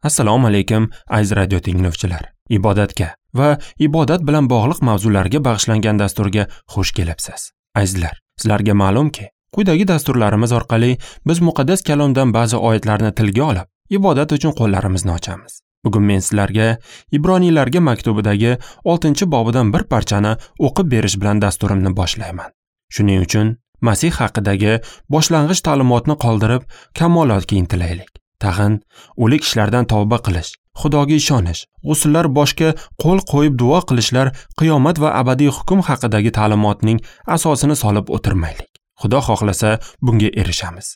Assalomu alaykum, aziz radio tinglovchilar. Ibodatga va ibodat bilan bog'liq mavzularga bag'ishlangan dasturga xush kelibsiz. Azizlar, sizlarga ma'lumki, quyidagi dasturlarimiz orqali biz muqaddas kalomdan ba'zi oyatlarni tilga olib, ibodat uchun qo'llarimizni ochamiz. Bugun men sizlarga Ibroniylarga maktubidagi 6-bobidan bir parchani o'qib berish bilan dasturimni boshlayman. Shuning uchun Masih haqidagi boshlang'ich ta'limotni qoldirib, kamolotga intilaylik. Tag'in o'lik ishlardan tavba qilish, Xudoga ishonish, g'usullar boshga qo'l qo'yib duo qilishlar qiyomat va abadiy hukm haqidagi ta'limotning asosini solib o'tirmaylik. Xudo xohlasa bunga erishamiz.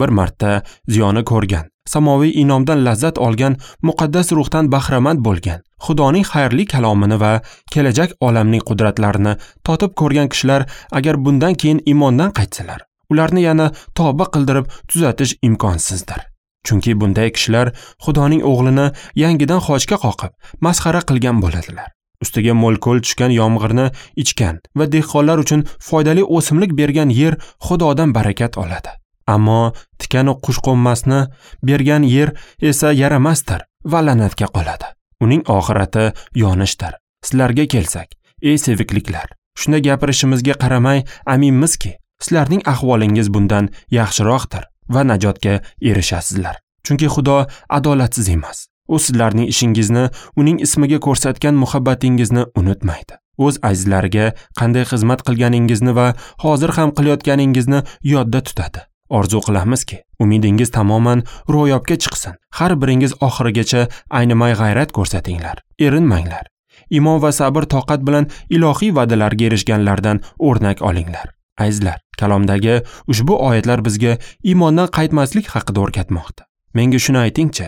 Bir marta ziyoni ko'rgan, samoviy inomdan lazzat olgan, muqaddas ruhdan bahramand bo'lgan, Xudoning xayrli kalomini va kelajak olamning qudratlarini totib ko'rgan kishilar agar bundan keyin iymondan qaytsalar, ularni yana tavba qildirib tuzatish imkonsizdir. Chunki bunday kishilar Xudoning o'g'lini yangidan xochga qoqib, masxara qilgan bo'ladilar. Ustiga mo'l-ko'l tushgan yomg'irni ichgan va dehqonlar uchun foydali o'simlik bergan yer Xudodan barakat oladi. Ammo tikanu qushqo'nmasni bergan yer esa yaramasdir va la'natga qoladi. Uning oxirati yonishdir. Sizlarga kelsak, ey sevikliklar, shunda gapirishimizga qaramay aminmizki, sizlarning ahvolingiz bundan yaxshiroqdir va najotga erishasizlar. Chunki Xudo adolatsiz emas. U sizlarning ishingizni, uning ismiga ko'rsatgan muhabbatingizni unutmaydi. O'z azizlariga qanday xizmat qilganingizni va hozir ham qilayotganingizni yodda tutadi. Orzu qilamizki, umidingiz tamoman ro'yobga chiqsin. Har biringiz oxirigacha aynimay g'ayrat ko'rsatinglar. Erinmanglar. Iymon va sabr toqat bilan ilohiy va'dalarga erishganlardan o'rnak olinglar. Azizlar, kalomdagi ushbu oyatlar bizga iymondan qaytmaslik haqida o'rgatmoqda. Menga shuni aytingchi,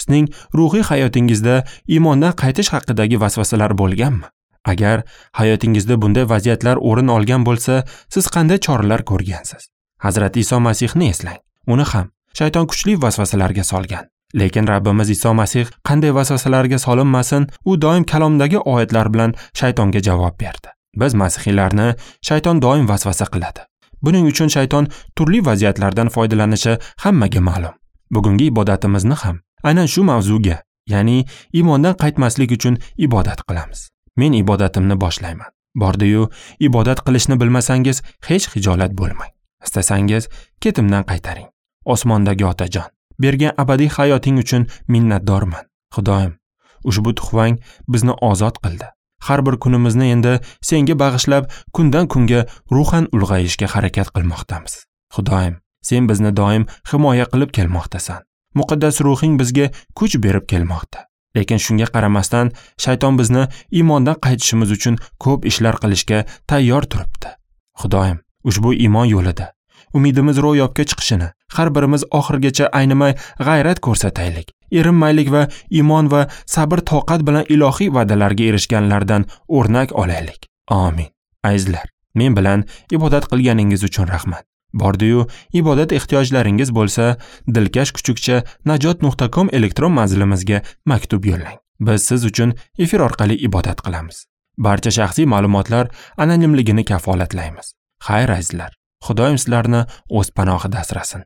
sizning ruhiy hayotingizda iymondan qaytish haqidagi vasvasalar bo'lganmi? Agar hayotingizda bunday vaziyatlar o'rin olgan bo'lsa, siz qanday choralar ko'rgansiz? Hazrati Iso Masihni eslang. Uni ham shayton kuchli vasvasalarga solgan. Lekin Rabbimiz Iso Masih qanday vasvasalarga solinmasin, u doim kalomdagi oyatlar bilan shaytonga javob berdi. Biz masihiylarni shayton doim vasvasa qiladi. Buning uchun shayton turli vaziyatlardan foydalanishi hammaga ma'lum. Bugungi ibodatimizni ham aynan shu mavzuga, ya'ni iymondan qaytmaslik uchun ibodat qilamiz. Men ibodatimni boshlayman. Bordi-yu, ibodat qilishni bilmasangiz hech xijolat bo'lmang. Istasangiz ketimdan qaytaring. Osmondagi Otajon, bergan abadiy hayoting uchun minnatdorman. Xudoyim, ushbu tuhfang bizni ozod qildi. Har bir kunimizni endi senga bag'ishlab, kundan kunga ruhan ulg'ayishga harakat qilmoqdamiz. Xudoyim, sen bizni doim himoya qilib kelmoqdasan. Muqaddas ruhing bizga kuch berib kelmoqda. Lekin shunga qaramasdan shayton bizni iymondan qaytishimiz uchun ko'p ishlar qilishga tayyor turibdi. Xudoyim, ushbu iymon yo'lida umidimiz ro'yobga chiqishini har birimiz oxirigacha aynimay g'ayrat ko'rsataylik. Erinmaylik va iymon va sabr toqat bilan ilohiy va'dalarga erishganlardan o'rnak olaylik. Amin. Azizlar, men bilan ibodat qilganingiz uchun rahmat. Bordi-yu, ibodat ehtiyojlaringiz bo'lsa, dilkash kuchukcha najot.com elektron manzilimizga maktub yo'llang. Biz siz uchun efir orqali ibodat qilamiz. Barcha shaxsiy ma'lumotlar anonimligini kafolatlaymiz. Xayr azizlar, Xudoyim sizlarni o'z panohida asrasin.